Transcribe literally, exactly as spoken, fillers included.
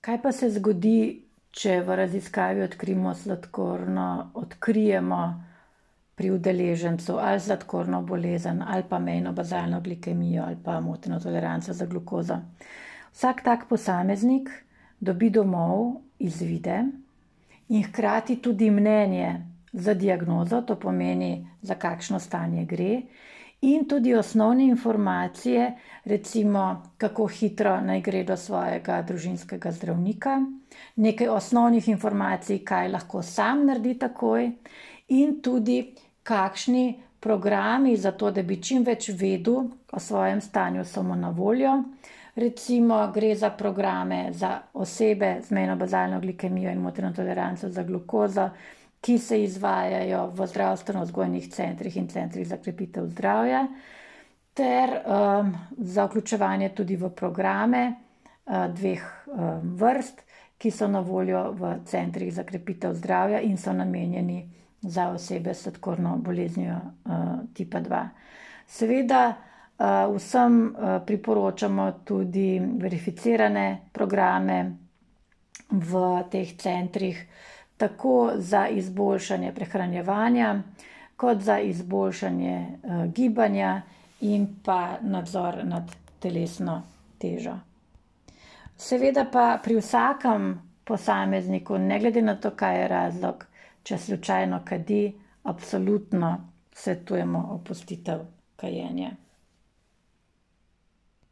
Kaj pa se zgodi, če v raziskavi odkrijemo sladkorno, odkrijemo pri udeležencu ali sladkorno bolezen, ali pa mejno bazalno glikemijo, ali pa moteno toleranco za glukozo? Vsak tak posameznik dobi domov izvide in hkrati tudi mnenje za diagnozo, to pomeni, za kakšno stanje gre, in tudi osnovne informacije, recimo, kako hitro naj gre do svojega družinskega zdravnika, nekaj osnovnih informacij, kaj lahko sam naredi takoj, in tudi kakšni programi za to, da bi čim več vedel o svojem stanju, so mu na voljo. Recimo gre za programe za osebe z mejno bazalno glikemijo in moteno toleranco za glukozo, ki se izvajajo v zdravstveno-vzgojnih centrih in centrih za krepitev zdravja, ter um, za vključevanje tudi v programe uh, dveh um, vrst, ki so na voljo v centrih za krepitev zdravja in so namenjeni za osebe s sladkorno boleznijo uh, tipa dva. Seveda uh, vsem uh, priporočamo tudi verificirane programe v teh centrih, tako za izboljšanje prehranjevanja, kot za izboljšanje uh, gibanja in pa nadzor nad telesno težo. Seveda pa pri vsakem posamezniku, ne glede na to, kaj je razlog, če slučajno kadi, absolutno svetujemo opustitev kajenja.